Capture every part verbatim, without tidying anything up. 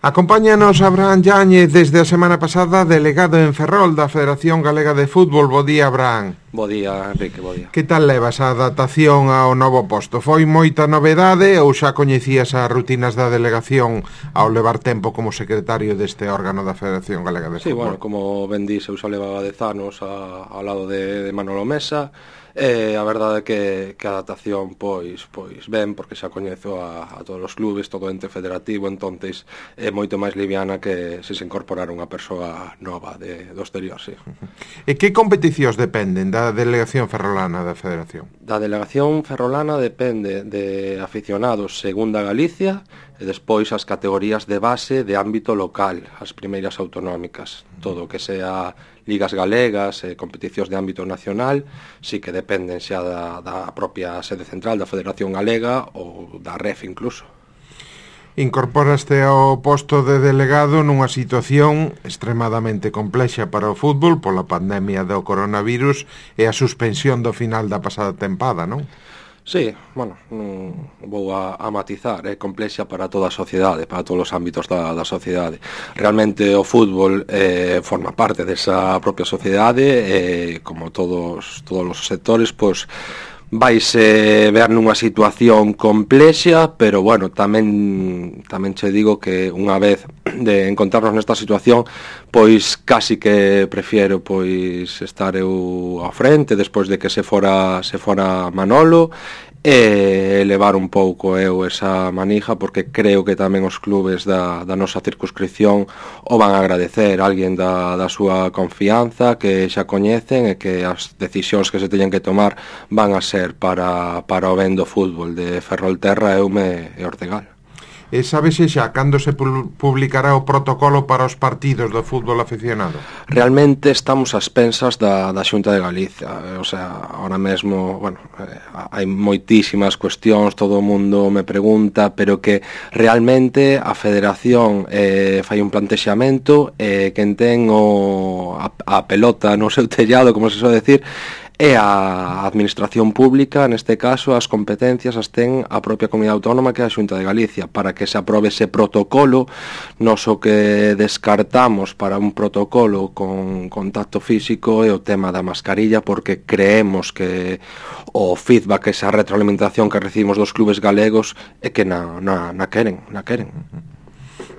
Acompáñanos Abraham Yáñez desde a semana pasada, delegado en Ferrol da Federación Galega de Fútbol. Bo día, Abraham. Bo día, Enrique, bo día. Que tal levas a adaptación ao novo posto? Foi moita novedade ou xa coñecías as rutinas da delegación ao levar tempo como secretario deste órgano da Federación Galega de Fútbol? Sí, bueno, como ben dís, eu xa levaba dez anos a, ao lado de, de Manolo Mesa. E a verdade é que, que a adaptación pois pois ben, porque xa coñezo a, a todos os clubes, todo o ente federativo, entonces é moito máis liviana que se se incorporara unha persoa nova de, do exterior, sí. E que competicións dependen da delegación ferrolana da Federación? Da delegación ferrolana depende de aficionados segunda Galicia e despois as categorías de base de ámbito local, as primeiras autonómicas, todo o que sea ligas galegas e competicións de ámbito nacional, sí que dependen xa da, da propia sede central da Federación Galega ou da R E F incluso. Incorporaste ao posto de delegado nunha situación extremadamente complexa para o fútbol pola pandemia do coronavirus e a suspensión do final da pasada tempada, non? Sí, bueno, non vou a, a matizar, é complexa para toda a sociedade, para todos os ámbitos da, da sociedade. Realmente o fútbol eh, forma parte desa propia sociedade e, como todos todos os sectores, pois vaise ver nunha situación complexa, pero bueno, tamén tamén che digo que unha vez de encontrarnos nesta situación, pois casi que prefiero pois estar eu á frente despois de que se fora se fora Manolo e levar un pouco eu esa manija, porque creo que tamén os clubes da, da nosa circunscripción o van a agradecer a alguén da, da súa confianza que xa coñecen e que as decisións que se teñen que tomar van a ser para, para o ben do fútbol de Ferrolterra, Eume e Ortegal. E sabese xa cando se publicará o protocolo para os partidos do fútbol aficionado? Realmente estamos ás pensas da, da Xunta de Galicia, o sea, ahora mesmo, bueno, eh, hai moitísimas cuestións, todo o mundo me pregunta, pero que realmente a Federación eh, fai un plantexamento e eh, quen ten o, a, a pelota no seu tellado, como se soe decir, e a administración pública, neste caso, as competencias as ten a propia comunidade autónoma que é a Xunta de Galicia, para que se aprobe ese protocolo. Nos o que descartamos para un protocolo con contacto físico é o tema da mascarilla, porque creemos que o feedback, esa retroalimentación que recibimos dos clubes galegos é que na, na, na queren, na queren.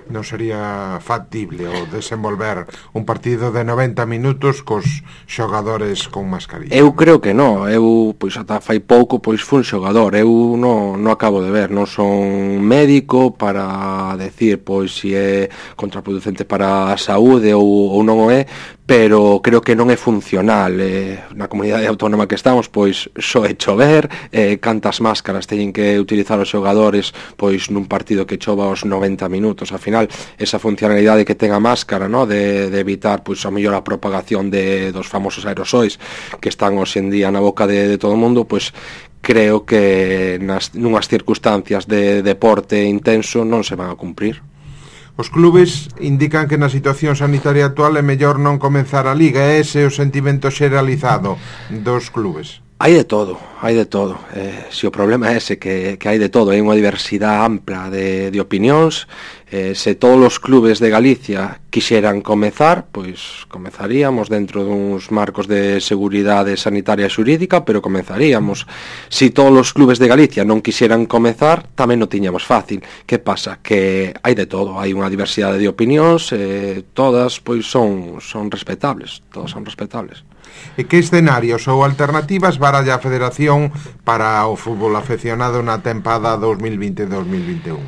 Non sería factible o desenvolver un partido de noventa minutos cos xogadores con mascarilla? Eu creo que non, eu pois ata fai pouco pois fun xogador, eu non, non acabo de ver, non son médico para decir pois se é contraproducente para a saúde ou, ou non o é, pero creo que non é funcional. Eh, na comunidade autónoma que estamos, pois só é chover, eh, cantas máscaras teñen que utilizar os xogadores pois nun partido que chova aos noventa minutos. Ao final, esa funcionalidade que ten a máscara, no, de, de evitar pois a mellor a propagación de, dos famosos aerosois que están hoxe en día na boca de, de todo o mundo, pois creo que nas, nunhas circunstancias de deporte intenso non se van a cumprir. Os clubes indican que na situación sanitaria actual é mellor non comenzar a liga. É ese o sentimento xeralizado dos clubes? Hai de todo, hai de todo. Eh, se o problema é ese, que, que hai de todo, hai unha diversidade ampla de, de opinións. Eh, se todos os clubes de Galicia quixeran comezar, pois comezaríamos dentro duns marcos de seguridade sanitaria e xurídica, pero comezaríamos. Se todos os clubes de Galicia non quixeran comezar, tamén non tiñamos fácil. Que pasa? Que hai de todo, hai unha diversidade de opinións, eh, todas pois son, son respetables, todas son respetables. E que escenarios ou alternativas baralla a Federación para o fútbol afeccionado na tempada dos mil vinte dos mil vinte e un?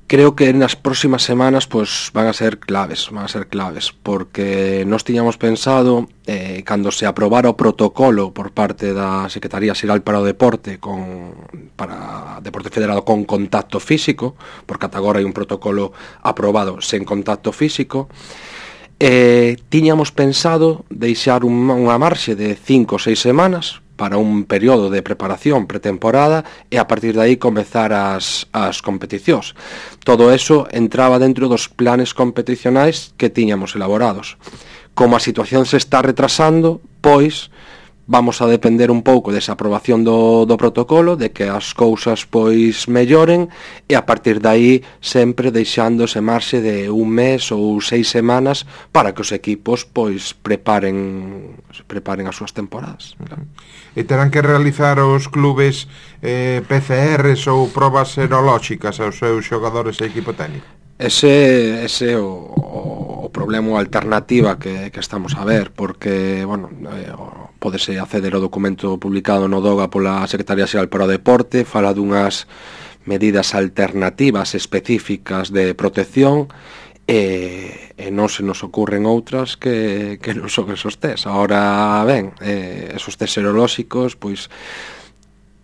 Creo que nas próximas semanas pois van a ser claves, van a ser claves, porque nós tiñamos pensado eh, cando se aprobara o protocolo por parte da Secretaría Xeral para o Deporte con para Deporte Federado con contacto físico, porque ata agora hai un protocolo aprobado sen contacto físico. Eh, tiñamos pensado deixar un, unha marxe de cinco ou seis semanas para un período de preparación pretemporada e a partir de aí comezar as, as competicións. Todo eso entraba dentro dos planes competicionais que tiñamos elaborados. Como a situación se está retrasando, pois vamos a depender un pouco desa aprobación do, do protocolo, de que as cousas pois melloren, e a partir de aí sempre deixándose marxe de un mes ou seis semanas para que os equipos pois preparen preparen as súas temporadas. Claro. E terán que realizar os clubes eh, P C Rs ou probas serolóxicas aos seus xogadores e equipo técnico? Ese ese o, o, o problema, a alternativa que, que estamos a ver, porque, bueno, eh, pódese acceder ao documento publicado no DOGA pola Secretaría Xeral para o Deporte, fala dunhas medidas alternativas específicas de protección, e, e non se nos ocurren outras que, que non son esos test. Ahora, ben, eh, esos test serolóxicos, pois,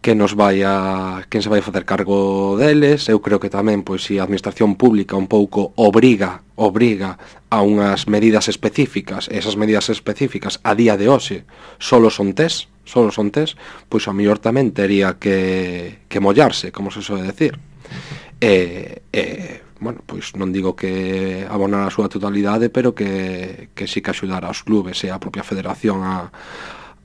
que nos vai a, quen se vai a facer cargo deles. Eu creo que tamén, pois, se a administración pública un pouco obriga obriga a unhas medidas específicas, e esas medidas específicas a día de hoxe solo son test, solo son test, pois a mellor tamén tería que, que mollarse, como se soe decir. E, e, bueno, pois non digo que abonar a súa totalidade, pero que, que sí que axudar aos clubes e a propia federación a,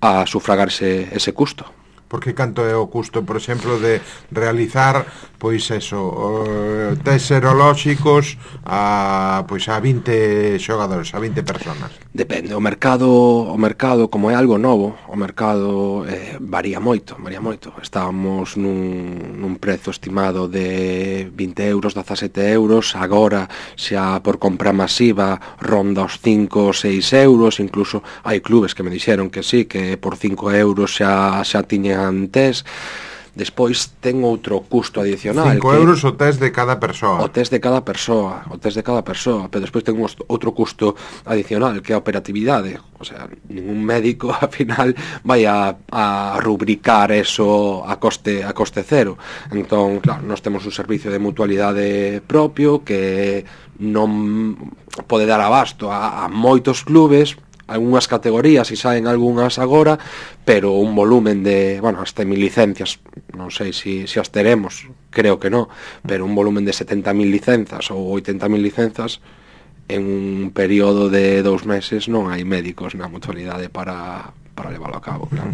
a sufragarse ese custo. Porque canto é o custo, por exemplo, de realizar, pois eso, uh, test serolóxicos a, pois a vinte xogadores, a vinte personas? Depende, o mercado, o mercado como é algo novo, o mercado eh, varía moito, varía moito. Estábamos nun, nun prezo estimado de vinte euros, dezasete euros, agora xa por compra masiva ronda os cinco ou seis euros, incluso hai clubes que me dixeron que sí, que por cinco euros xa, xa tiñen test. Despois ten outro custo adicional, cinco euros o test de cada persoa. O test de cada persoa, o test de cada persoa, pero despois ten outro custo adicional, que é a operatividade. O sea, ningún médico ao final vai a, a rubricar eso a coste a coste cero. Entón, claro, nós temos un servicio de mutualidade propio que non pode dar abasto a, a moitos clubes, algunhas categorías, e saen algunhas agora, pero un volumen de, bueno, hasta mil licencias, non sei se si, si as teremos, creo que non, pero un volumen de setenta mil licenzas ou oitenta mil licenzas en un período de dous meses non hai médicos na mutualidade para, para leválo a cabo, claro.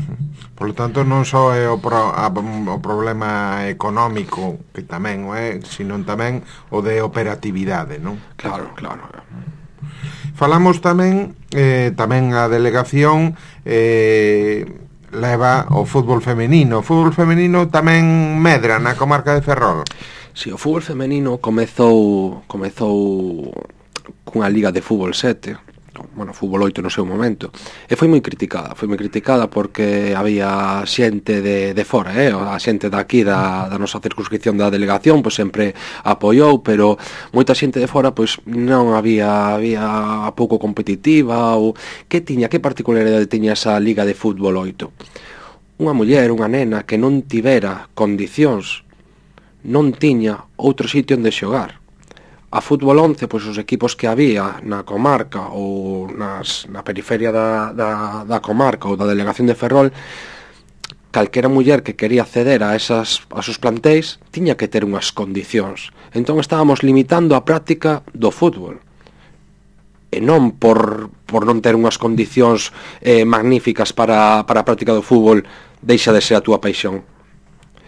Por lo tanto, non só é o, pro, a, o problema económico, que tamén o é, sino tamén o de operatividade, non? Claro, claro. Falamos tamén, eh, tamén a delegación eh, leva o fútbol femenino. O fútbol femenino tamén medra na comarca de Ferrol. Si, o fútbol femenino comezou comezou cunha liga de fútbol sete, bueno, fútbol oito no seu momento, e foi moi criticada, foi moi criticada porque había xente de, de fora, eh? A xente daqui da, da nosa circunscripción da delegación pois sempre apoiou, pero moita xente de fora pois non había había pouco competitiva, ou que tiña, que particularidade tiña esa liga de fútbol oito? Unha muller, unha nena que non tivera condicións, non tiña outro sitio onde xogar. A fútbol once, pois os equipos que había na comarca ou nas, na periferia da, da, da comarca ou da delegación de Ferrol, calquera muller que quería acceder a esas a sus plantéis tiña que ter unhas condicións. Entón estábamos limitando a práctica do fútbol. E non por, por non ter unhas condicións eh, magníficas para, para a práctica do fútbol deixa de ser a túa paixón.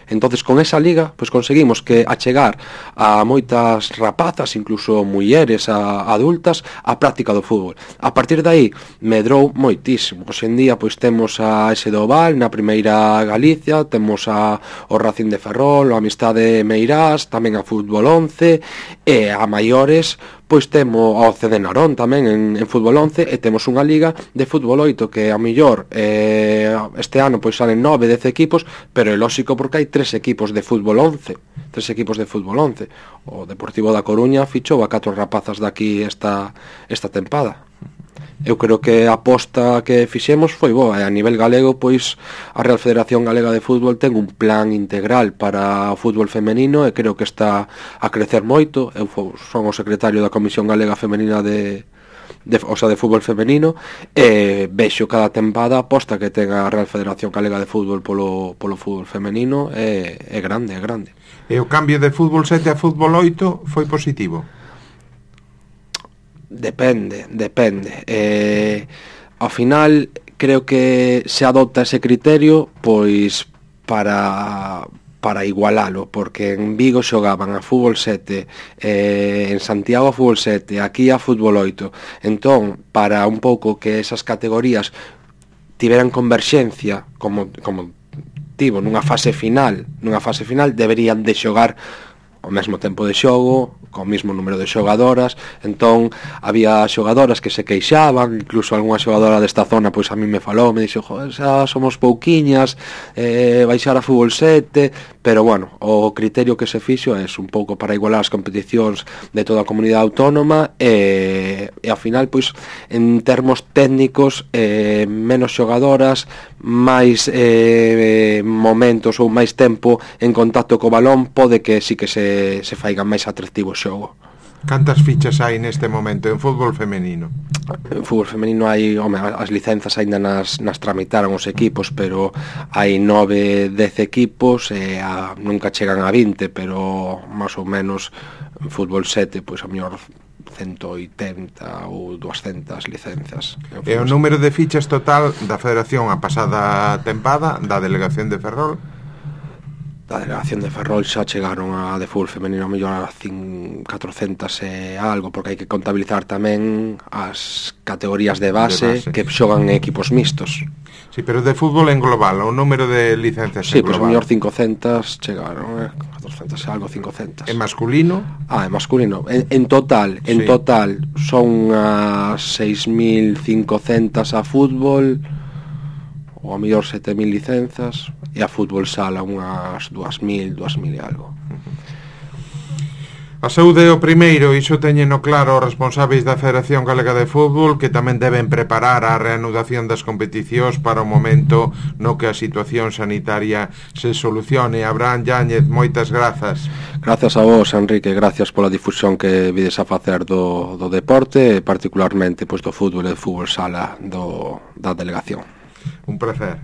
Entonces, con esa liga, pois conseguimos que achegar a moitas rapazas, incluso mulleres a, adultas, a práctica do fútbol. A partir de aí, medrou moitísimo. Hoxe en día, pois temos a ese do Oval, na primeira Galicia, temos a o Racing de Ferrol, a Amistade Meirás, tamén a Fútbol once, e a maiores, pois temos ao C D Narón tamén en, en Fútbol once, e temos unha liga de Fútbol oito que a mellor eh, este ano pois salen nove, dez equipos, pero é lóxico porque hai tres equipos de Fútbol once, tres equipos de Fútbol once. O Deportivo da Coruña fichou a catro rapazas daqui esta esta tempada. Eu creo que a aposta que fixemos foi boa, e a nivel galego, pois a Real Federación Galega de Fútbol ten un plan integral para o fútbol femenino, e creo que está a crecer moito. Eu son o secretario da Comisión Galega Femenina de, de o sea, de fútbol femenino, e vexo cada tempada a aposta que ten a Real Federación Galega de Fútbol polo, polo fútbol femenino é, é grande, é grande. E o cambio de fútbol sete a fútbol oito foi positivo? Depende, depende. Eh, ao final, creo que se adopta ese criterio pois para para igualalo, porque en Vigo xogaban a fútbol sete, eh, en Santiago a fútbol sete, aquí a fútbol oito. Entón, para un pouco que esas categorías tiveran converxencia, como como tivo nunha fase final, nunha fase final deberían de xogar ao mesmo tempo de xogo, co mesmo número de xogadoras. Entón había xogadoras que se queixaban, incluso algunha xogadora desta zona pois a mí me falou, me dixo, joder, xa somos pouquiñas, eh, baixar a fútbol sete, pero bueno, o criterio que se fixo é un pouco para igualar as competicións de toda a comunidade autónoma, e, e ao final pois en termos técnicos eh, menos xogadoras, máis eh, momentos ou máis tempo en contacto co balón, pode que sí que se, se faiga máis atractivo o xogo. Cantas fichas hai neste momento en fútbol femenino? En fútbol femenino hai, home, as licenzas aínda nas, nas tramitaron os equipos, pero hai nove, dez equipos e a, nunca chegan a vinte, pero máis ou menos en fútbol sete, pois a mellor ciento oitenta ou duascentas licenzas. E o número de fichas total da Federación a pasada tempada da delegación de Ferrol? Da delegación de Ferrol xa chegaron a de fútbol femenino a mellor a catrocentas e algo, porque hai que contabilizar tamén as categorías de base, de base. Que xogan equipos mixtos. Sí, pero de fútbol en global, o número de licencias sí, en global. Sí, pois a mellor cincocentas chegaron, eh, catrocentas e algo, cincocentas. En masculino? Ah, en masculino. En, en total, en sí. total son a seis mil cincocentas a fútbol, ou a mellor sete mil licenzas, e a fútbol sala unhas dúas mil, dúas mil e algo. A saúde é o primeiro, iso teñeno claro os responsáveis da Federación Galega de Fútbol, que tamén deben preparar a reanudación das competicións para o momento no que a situación sanitaria se solucione. Abraham Yáñez, moitas grazas. Gracias a vos, Enrique, gracias pola difusión que vides a facer do, do deporte, particularmente pois, do fútbol e do fútbol sala do, da delegación. Un placer.